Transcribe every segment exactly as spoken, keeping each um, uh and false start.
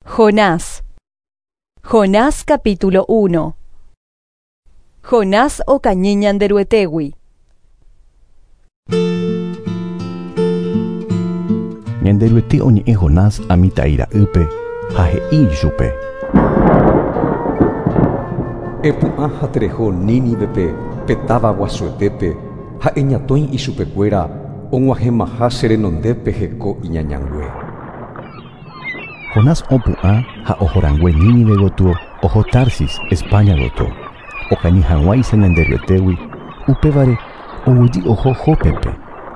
Jonás. Jonás capítulo uno. Jonás okañy Ñanderuetégui. Ñanderuete oñe'ẽ Jonás Amitai ra'ýpe ha he'i ichupe. Epu'ã ha tereho Nínivepe pe táva guasuetépe ha eñatõi ichupekuéra og̃uahẽmaha che renondépe heko iñañangue. Jonás opu'ã ha ohorangue Nínive gotyo oho Tarsis, España gotyo. Okañy hag̃uáicha Ñanderuetégui, upévare oguejy oho Jópepe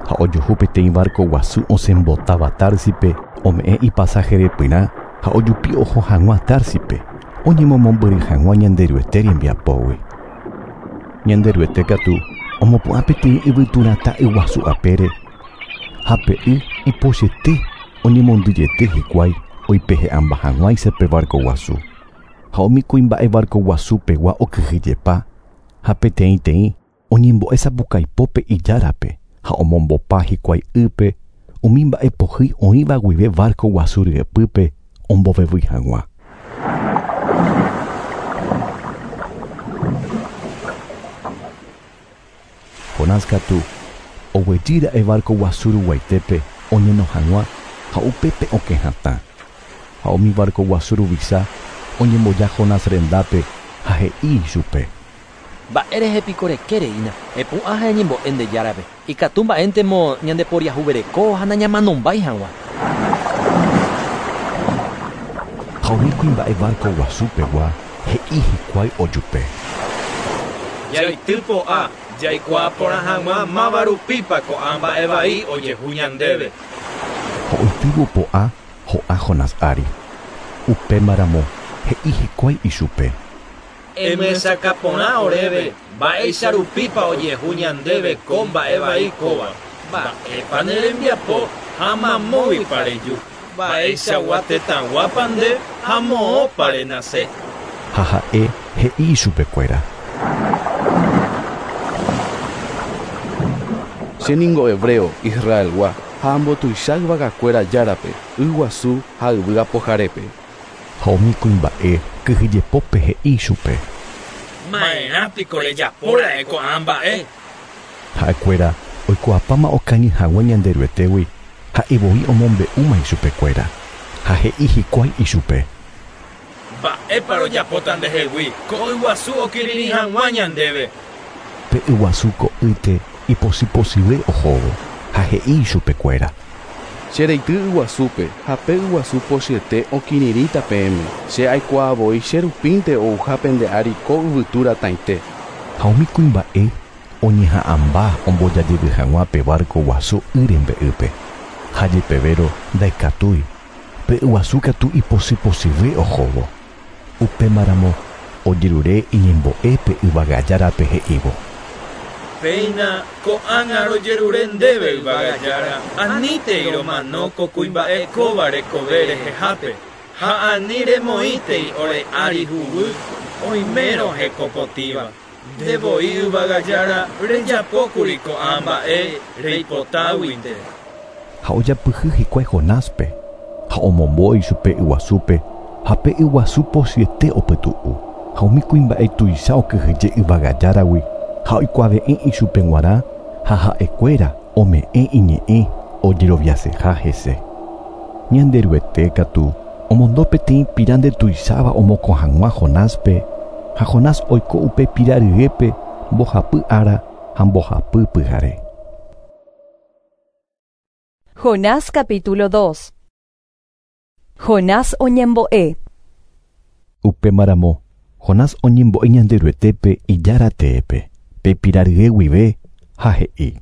ha ojuhu peteĩ barco guasu osẽmbotáva Társipe ome'ẽ ipasaje repyrã ha ojupi oho hag̃ua Társipe oñemomombyry hag̃ua Ñanderuete rembiapógui. Ñanderuete katu omopu'ã peteĩ yvyturatã yguasu apére ha pe y ipochyete oñemondyjete hikuái oipehe'ãmba hag̃uáicha pe barco guasu. Ha umi kuimba'e barco guasupegua okyhyjepa ha peteĩteĩ oñembo'e sapukaipópe ijárape ha omombopa hikuái ýpe umi mba'e pohýi oĩva guive barco guasu ryepýpe ombovevýi hag̃ua. Jonás katu oguejýra'e barco guasu ruguaitépe oñeno hag̃ua ha upépe okẽ hatã. Ha umi barco guasu ruvicha oñemboja Jonás rendápe ha he'i ichupe. Mba'érehe piko rekéreína epu'ã ha eñembo'e ndejárape ikatu mba'éntemo ñandeporiahuvereko ha nañamanombái hag̃ua. Ha umi kuimba'e barco guasupegua he'i hikuái ojupe. Jaity po'a jaikuaa porã hag̃ua máva rupípa ko'ã mba'e vai ojehu ñandéve. Ha oitývo po'a ho'a Jonás ári. Upémaramo he'i hikuái ichupe. Emyesakã porã oréve mba'éicha rupípa ojehu ñandéve ko mba'e vai kóva. Mba'épa ne rembiapo ha mamóvipa reju. Mba'eichagua tetãguápa nde ha moõpa renase. Ha ha'e he'i ichupekuéra. Che ningo hebreo Israelgua ha ambotuicha yvagakuéra járape yguasu ha yvy apoharépe. Ha umi kuimba'e kyhyjepópe he'i ichupe. Ma'erã piko rejapóra'e ko'ã mba'e. Ha'ekuéra oikuaapáma okañy hag̃ua Ñanderuetégui ha'evoi omombe'úma ichupekuéra ha he'i hikuái ichupe. Mba'épa rojapóta ndehegui ko yguasu okirirĩ hag̃ua ñandéve. Pe yguasu ko'ýte ipochypochyve ohóvo ha he'i ichupekuéra. Che reity yguasúpe ha pe yguasu pochyete okirirĩta peẽme. Che aikuaavoi che rupínte ouha pende ári ko yvytu ratãite. Ha umi kuimba'e oñeha'ãmba ombojajevy hag̃ua pe barco guasu y rembe'ýpe. Ha jepevérõ ndaikatúi pe yguasu katu ipochypochyve ohóvo. Upémaramo ojerure iñembo'e pe yvagajárape he'ívo. Péina ko'ág̃a rojerure ndéve yvagajára anítei romano ko kuimba'e kóva rekove rehehápe ha ani remoĩtei ore ári huguy oimérõ hekopotĩva. Ndevoi yvagajára rejapókuri ko'ã mba'e reipotáguinte. Ha ojapyhy hikuái Jonáspe ha omombo ichupe yguasúpe ha pe yguasu pochyete opytu'u ha umi kuimba'e tuicha okyhyje yvagajáragui ha oikuave'ẽ ichupe g̃uarã ha ha'ekuéra ome'ẽ iñe'ẽ ojeroviaseha hese. Ñanderuete katu omondo peteĩ pira ndetuicháva omokõ hag̃ua Jonáspe ha Jonás oiko upe pira ryépe mbohapy ára ha mbohapy pyhare. Jonás capítulo dos. Jonás oñembo'e. Upémaramo Jonás oñembo'e Ñanderuetépe ijára teépe pe pira rye guive ha he'i.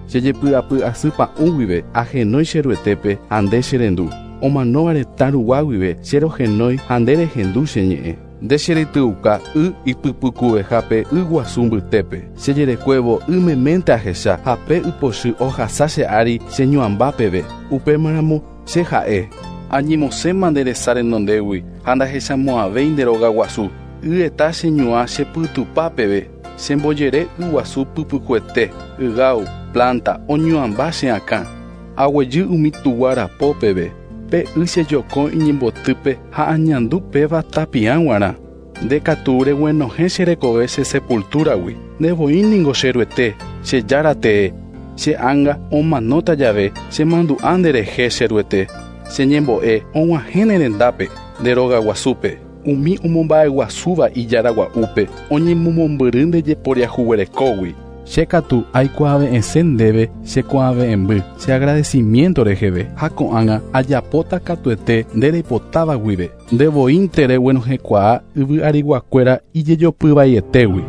Che jepy'apy asy pa'ũ guive ahenói che ruetépe ha nde che rendu. Omanóva retã rugua guive che rohenói ha nde rehendu che ñe'ẽ. Nde che retyuka y ipypykuvehápe yguasu mbytépe. Che jerekuévo ymeménte ahecha ha pe ypochy ohasa che ári che ñuãmba peve. Upémaramo che ha'e. Añemosẽma nde resa renondégui ha ndahechamo'ãvéi nde róga guasu. Yeta che ñuã che pytupa peve. Chembojere yguasu pypykuete, ygáu, planta, oñuãmba che akã. Aguejy umi tuguarapo peve. Pe y chejoko iñembotýpe ha añandu péva tapiã g̃uarã. Nde katu reguenohẽ che rekove che sepultúragui. Nde ningo che Ruete, che Jára tee. Che ánga omanóta jave chemandu'a nderehe che Ruete. Che ñembo'e og̃uahẽ ne rendápe nde rogaguasúpe. Umi omomba'eguasúva ijaragua'úpe oñemomombyry nde jeporiahuverekógui. Che katu aikuaave'ẽse ndéve chekuaave'ẽmby che agradecimiento reheve ha ko'ág̃a ajapóta katuete nde reipotáva guive. Nde voínte reguenohẽkuaa yvy ariguakuéra ijejopyvaietégui.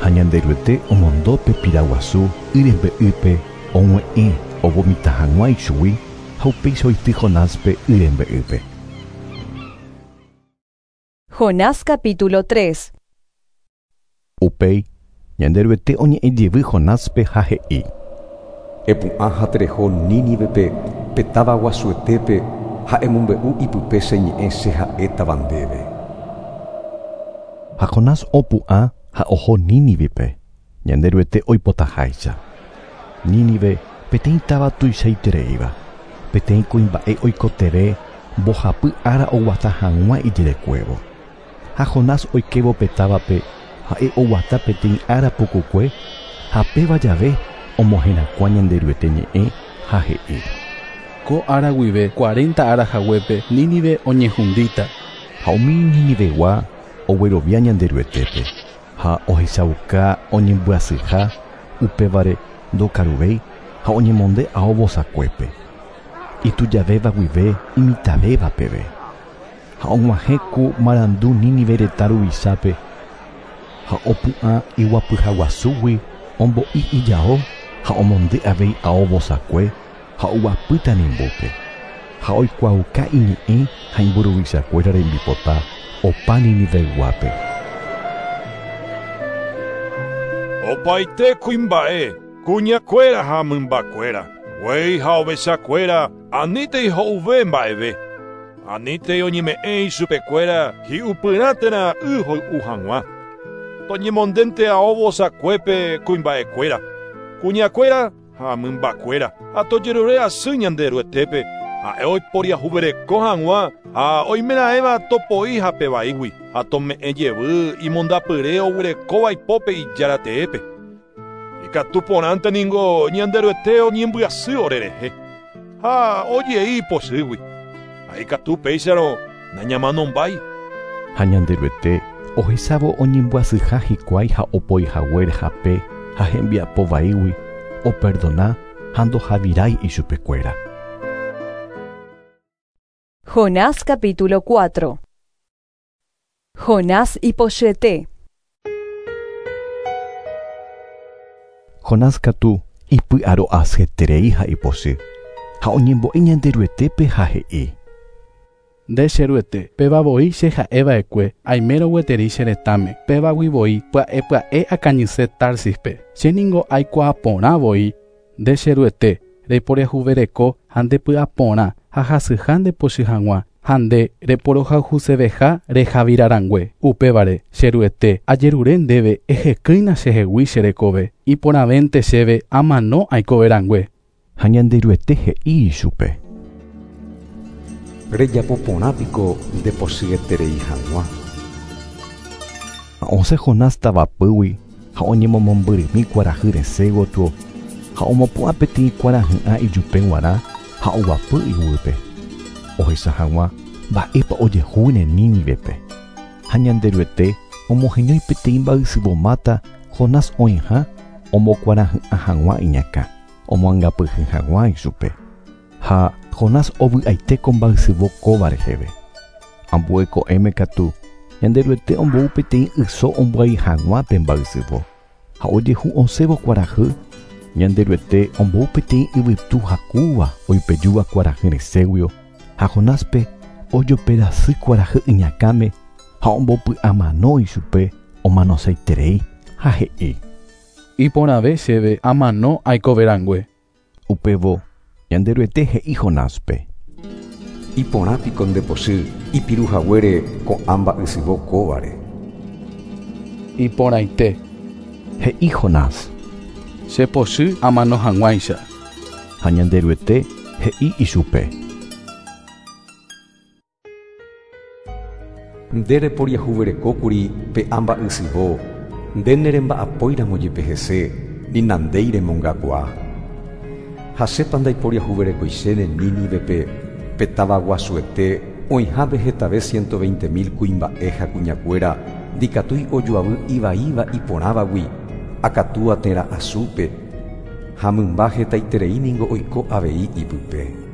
Ha Ñanderuete omondo pe piraguasu y rembe'ýpe og̃ue'ẽ ovomita hag̃ua ichugui ha upéicha oity Jonáspe y rembe'ýpe. Jonás capítulo tres. Upéi Ñanderuete oñe'ẽjevy Jonáspe ha he'i: Epu'ã ha tereho Nínivepe pe táva guasuetépe ha emombe'u ipype che ñe'ẽ che ha'étava ndéve. Ha Jonás opu'ã ha oho Nínivepe, Ñanderuete oipotaháicha. Nínive peteĩ táva tuichaitereíva, peteĩ kuimba'e oikotevẽ mbohapy ára oguata hag̃ua ijerekuévo. Ha Jonás oikévo pe távape ha'e oguata peteĩ ára pukukue ha péva jave omoherakuã Ñanderuete ñe'ẽ ha he'i: Ko ára guive cuarenta ára haguépe Nínive oñehundíta. Ha umi Ninivegua oguerovia Ñanderuetépe ha ohechauka oñembyasyha upévare ndokaruvéi ha oñemonde ao vosakuépe. Itujavéva guive imitavéva peve. Ha og̃uahẽ ku marandu Nínive retã ruvichápe ha opu'ã iguapyhaguasúgui ombo'i ijao ha omonde avei ao vosakue ha oguapy tanimbúpe. Ha oikuaauka iñe'ẽ ha imburuvichakuéra rembipota opa Niniveyguápe. Opaite kuimba'e, kuñakuéra ha mymbakuéra, guéi ha ovechakuéra anítei ho'uve mba'eve. Anítei oñeme'ẽ ichupekuéra hi'upyrã térã y hoy'u hag̃ua. Toñemondénte ao vosakuépe kuimba'ekuéra, kuñakuéra ha mymbakuéra, ha tojerure asy Ñanderuetépe, ha'e oiporiahuvereko hag̃ua ha oimeraẽva topoi hapevaígui ha tome'ẽ jevy imondapyre oguerekóva ipópe ijarateépe. Ikatu porãnte ningo Ñanderuete oñembyasy orerehe ha ojei ipochýgui. Ha ikatu péicharõ nañamanombái. Ha Ñanderuete ohechávo oñembyasyha hikuái ha opoihaguére hape ha hembiapovaígui operdona ha ndohavirái ichupekuéra. Jonás capítulo cuatro. Jonás ipochyete. Jonás katu ipy'aro'asyeterei ha ipochy ha oñembo'e Ñanderuetépe ha he'i: Nde che Ruete, péva voi che ha'eva'ekue aimérõ gueteri che retãme, pévagui voi pya'e pya'e akañyse Társispe. Che ningo aikuaa porã voi, nde che Ruete, reiporiahuvereko ha ndepy'aporã ha hasyha ndepochy hag̃ua ha nde reporohayhuseveha rehavirarangue. Upévare, che Ruete, ajerure ndéve ehekýina chehegui che rekove, iporãvénte chéve amano aikoverangue. Ha Ñanderuete he'i ichupe: Rejapo porã piko ndepochyeterei hag̃ua. Ha osẽ Jonás tavapýgui ha oñemomombyrymi kuarahy resẽ gotyo ha omopu'ã peteĩ kuarahy'ã ijupe g̃uarã ha oguapy iguýpe. Ohecha hag̃ua mba'épa ojehúne Nínivepe. Ha Ñanderuete omoheñói peteĩ mba'ysyvomáta Jonás oĩha omokuarahy'ã hag̃ua iñakã, omoangapyhy hag̃ua ichupe. Ha Jonás ovy'aite ko mba'ysyvo kóva reheve. Ambue ko'ẽme katu Ñanderuete ombou peteĩ yso ombyai hag̃ua pe mba'ysyvo. Ha ojehu osẽvo kuarahy, Ñanderuete ombou peteĩ yvytu hakúva oipejúva kuarahy resẽguio ha Jonáspe ojoperasy kuarahy iñakãme ha ombopy'amano ichupe omanoseiterei ha he'i: Iporãve chéve amano aikoverangue. Upévo Ñanderuete he'i Jonáspe: Iporã piko ndepochy ipiruhaguére ko'ã mba'ysyvo kóvare. Iporãite, he'i Jonás. Chepochy amano hag̃uáicha. Ha Ñanderuete He'i ichupe. Nde reporiahuverekókuri pe amba'ysyvo, nde neremba'apóiramo jepe hese, ni nandéi remongakuaa. Ha chépa ndaiporiahuverekoichéne Nínivepe pe táva guasuete oĩhápe hetave ciento veinte mil kuimba'e ha kuñakuéra ndikatúi ojoavy ivaíva iporãvagui akatúa térã asúpe ha mymba hetaiterei niko oiko avei ipype.